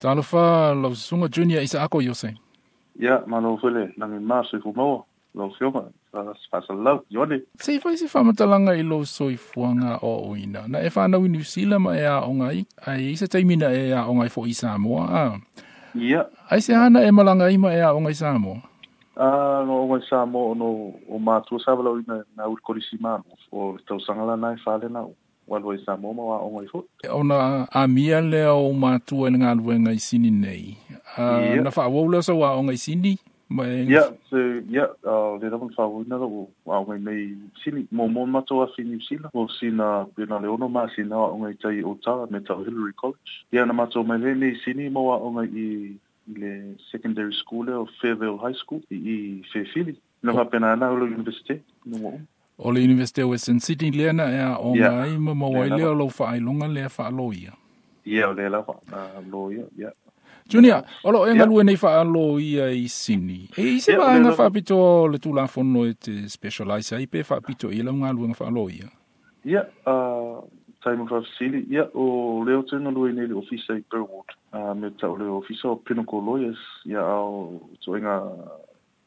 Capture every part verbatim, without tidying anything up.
Talofa lau susuga Junior Isaako Iose. Ia, malo foi le lagi ma soifua lau afioga faasalalau Ioane. Se i fai se faamatalaga i lou soifuaga aoaoina. Na e fanau i Niu Sila ma e aoga ai, ae i se taimi na e aoga ai foi i Samoa a. Ia. Ai se ana e malaga ai ma e aoga i Samoa? Ah, no o Samoa no o matua sa valaauina na uli kolisi malo o le tausaga lana e fale na ua i Samoa ma aoga ai foi. Ona amia lea o matua i le galuega i Sini nei. Ia. Na faaauau lea o sau aoga i Sini ma e. Ia, se ia, le lava na faaauauina lou aoga nei Sini. Mo mo matou afi Niu Sila, o sina pena le ono masina o aoga i tai o Tara me tau Hillary College. Ia na matou mai le nei Sini mo aoga i i le secondary school lea o Fairvale High School i i Fairfield. Na faapena na ulo university no mo. O le University of Western Sydney lea na e aoga Ia. ai ma maua ai Lea lea lava. o lau faailoga lea faaloia. Ia o le lava na loia, ia. Junior, o loo e Ia. galue nei faaloia i Sini. E i se Ia, o le vaega lava. faapitoa o le Tulafono e te specialise ai pe faapito i lau galuega faaloia. Ia, uh, taimi faafesili, ia, o lea ou te galue nei i le ofisa i Burwood. Uh, me tau le ofisa o Pinnacle Lawyers, ia ao ituaiga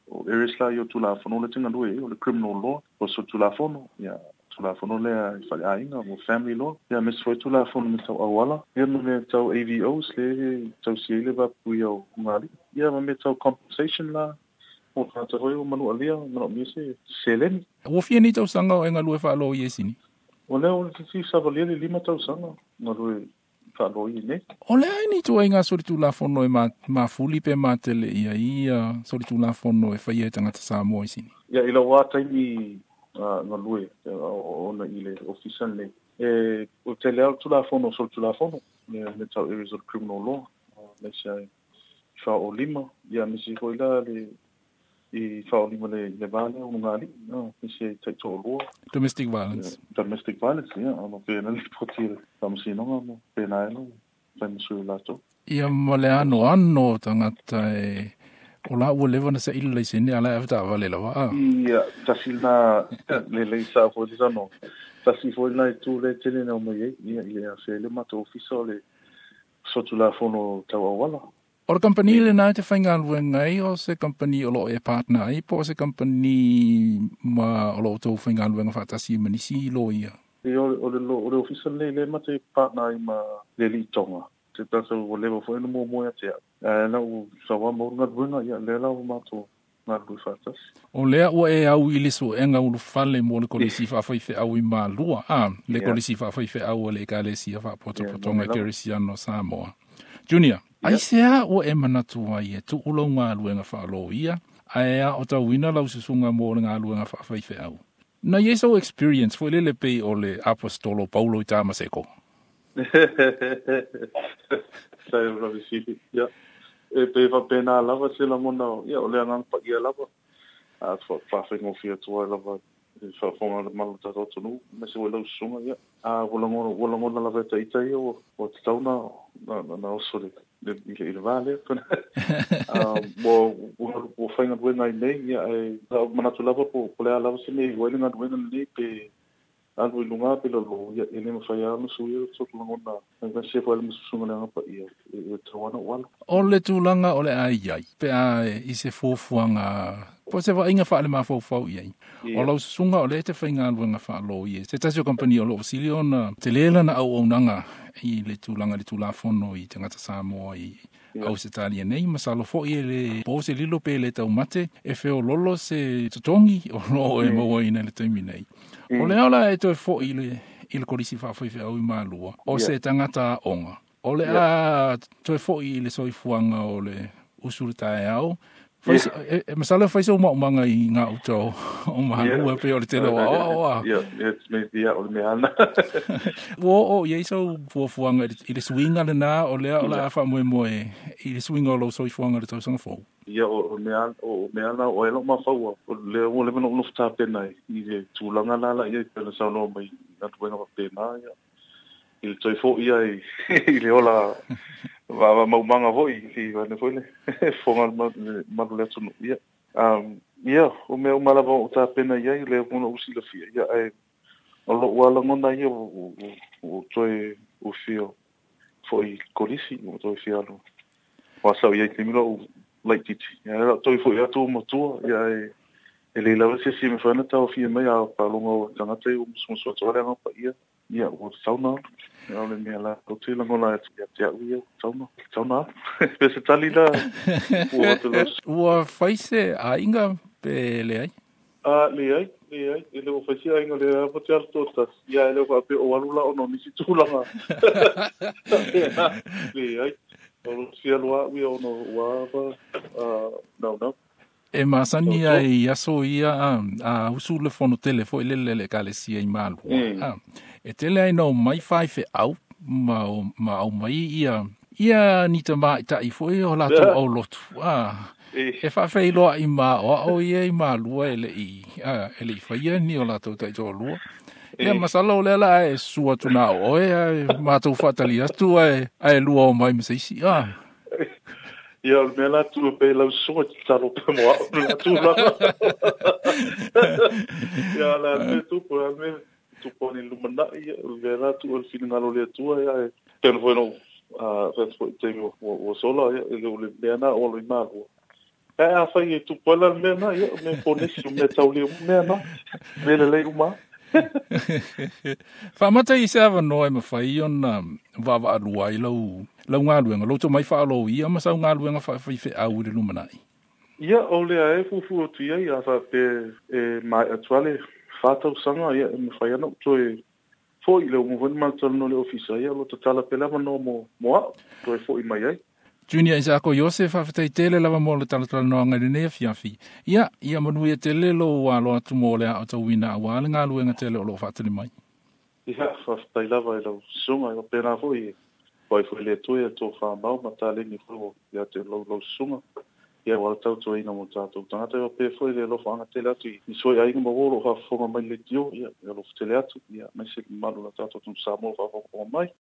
o areas la i o Tulafono le te galue ai, o le criminal law, o so Tulafono, ia, Tulafono lea i faleaiga, mo family law, ia, me se foi Tulafono me tau auala, ia, ma me tau A V Os le tausia ai le vapuia o ugali, ia, ma me tau compensation la, o tagata foi o manualia, manaomia se seleni. Ua fia nei tausaga o e galue faaloia i Sini? O lea o le fifi savalia le lima tausaga galue faaloia nei. O le ai ni ituaiga solitulafono e ma, mafuli pe matele ia ia solitulafono e faia e tagata Samoa i Sini? Ia, i lau lava taimi uh, galue ona i le ofisa nei. E, o tele lava Tulafono o solitulafono, me, me tau areas of criminal law, uh, me se ai faaolima, ia me se foi la le i faaolima le le vale o ngali, no, me se taitoalua. Domestic violence. Yeah, domestic violence, ia, ona pena le poti le faamasinoga mo pena ai lo faimasui o latou. Ia ma le ano ano tagata e o la ua leva na saili laisene ala e avetaavale lava a. Ia, tasi na le lei sa foi le sano. Tasi foi na i tu le tele na o mai ai, ia, i le afe le matou ofisa o le Sotulafono tau auala. O le kampani lena e te faigaluega ai o se kampani o loo e partner ai po o se kampani ma o loo tou faigaluega faatasi ma nisi loia? Ia, o le, o le, o le ofisa lenei le mate partner ai ma le alii Tonga. Te tatou ua leva foi na muamua ia te au. Ae la ua saua mau galuega, ia, lea la ua matou galulue faatasi. O lea ua e au i le suega ulufale mo le kolisi faafaifeau i Malua, a, le Ia. kolisi faafaifeau a le Ekalesia Faapotopotoga Ia, mo le lava. Kerisiano Samoa. Junior, Ia. ai se a ua e manatu ai e tuu lau galuega faaloia, ae a o tauina lau susuga mo le galuega faafaifeau. Na i ai sou experience foi lele pei o le apostolo Paulo i Tamaseko. Sa e ula visili, ia. E pe faapena lava se lagona, ia, o le agaga paia lava. A faafegofie atu ai lava i faafofoga le malu o tatou atunuu, aemaise foi lau susuga, ia. A ua lagona, ua lagona lava e taita ia, ua, ua tatau na, na, na, na oso le, le, i le, i le vā lea. Ah, ua, ua, ua faigaluega ai nei, ia, e, sa ou manatu lava po, po le a lava se mea i ai le galuega lenei pe alu i luga pe lalo, ia, e le mafai lava ona suia le sotu lagona, e se foi le masusuga le aga paia, e, e tatau lava ona ou alu. O le tulaga o le ai ai, pe a i se fuafuaga, po o se vaaiga faalemafaufau i ai. Ia. O lau susuga o lea e te faigaluega faaloia. Se tasi o kampani o loo sili ona tele lana auaunaga i le tulaga i le Tulafono i tagata Samoa i Ia. Ausetalia nei, masalo foi e le po se lilo pe le taumate e feololo se totogi o loo e Mm. mauaina i le taimi nei. Mm. O lea ola e toe foi i le, i le kolisi faafaifeau i Malua, o Ia. se tagata aoga. O le Ia. a toe foi i le soifuaga o le usu le taeao. Fai Ia. se, e, e, masalo fai se umaumaga i ngā uta o, o Malua Ia. pe o le tele o aoao a. Ia, ia, me, ia, o le mea ana. Ua oo i ai sau fuafuaga i le, i le suiga lena o lea o le Ia. a faamoemoe i le suiga o lou soifuaga i le tausaga fou. Ia, o, o mea, o mea ana, o ai lau mafaua. O lea ua leva ona ou nofo tapena ai i le tulaga la la ia i pei ona saunoa mai i galuega faapena, ia. I le toe foi ai i le ola va va maumaga foi, i ane foi le fofoga le ma- le malu le atunuu, ia. Um, ia, o mea uma lava o tapena i ai, lea foi ona ou silafia, ia, ae o lou lava lagona ia ua ua- ua toe ua fia foi i le kolisi, ua toe fia alu Wa sau ia te milo laititi. Ia la toi foi atu matua ia e e le lava se si me fana tau fia mai a palonga o tangata i musu atu ale nga pa ia. Ia o sauna. Ia le mea la o te langola ia te au ia sauna. Sauna. Pe se tali la. Ua te los. Ua faise a inga pe le ai? A le ai, le ai. E le o faise a inga le a te alu tōtas. Ia e le o whape o alu la ono nisi tūlanga. Le ai. O sia lua ui ono ua ava. No, no. E masani ai aso ia a, a usu le fono tele foi le le le sia i malua. Mm. A, e tele ai no mai fai fe au ma o, ma au mai ia ia ni tama i tai foi o latou au lotu. A, e whaawheiloa i ma o o ia i malua e le i a, e le i whaia ni o latou tai tō lua. Ia masalo o lea e sua tuna o oe ai mātou whaatali atu ai ai lua o mai maseisi. A. Ia, o le mea la tu pe lau susunga te talo pe mo au la tulaga. Ia, la me tupu, la me tupu ni lumanai, ia, o le mea la tu o le finagalo le Atua, ia, e pena foi no, a, foi te o, o sola, ia, e le o le mea na o lo i malua. E a whai e tupu ala le mea na, ia, o mea ponesi, o mea taule o mea na, mea le lei uma. Whaamata i se awanoa e mawhai ona wawa alua i lau, lau ngā luenga, lau tō mai whaalo ia ma sau ngā luenga whaawhai whe au i le lumanai. Ia, o lea e fufu o tuia ia wha pe e mai atuale whātau sanga ia e mawhai ana toe foi le umuvani mātalo no le ofisa ia lo tatala pe lava no mo, mo ao, toe foi mai ai. Junior Isako Joseph whawhetai tele lava mo le talatala noanga i lenei afiafi. Ia, ia manuia tele lo alo atu mo le ao tauina a wā le ngā luenga tele o lo whaatali mai. Ia, whawhetai lava i lau sunga, i pēnā foi, wai foi le tui e tō whamau, ma tā lengi foi o ia te lau lau sunga. Ia, wala tau tō ina mo tātou. Tangata i pē foi le lofa anga tele atu i soi ainga ma wō lo whafonga mai le tio, ia, ia lofa tele atu, ia, mai se malu la tātou tum Samoa whafonga mai.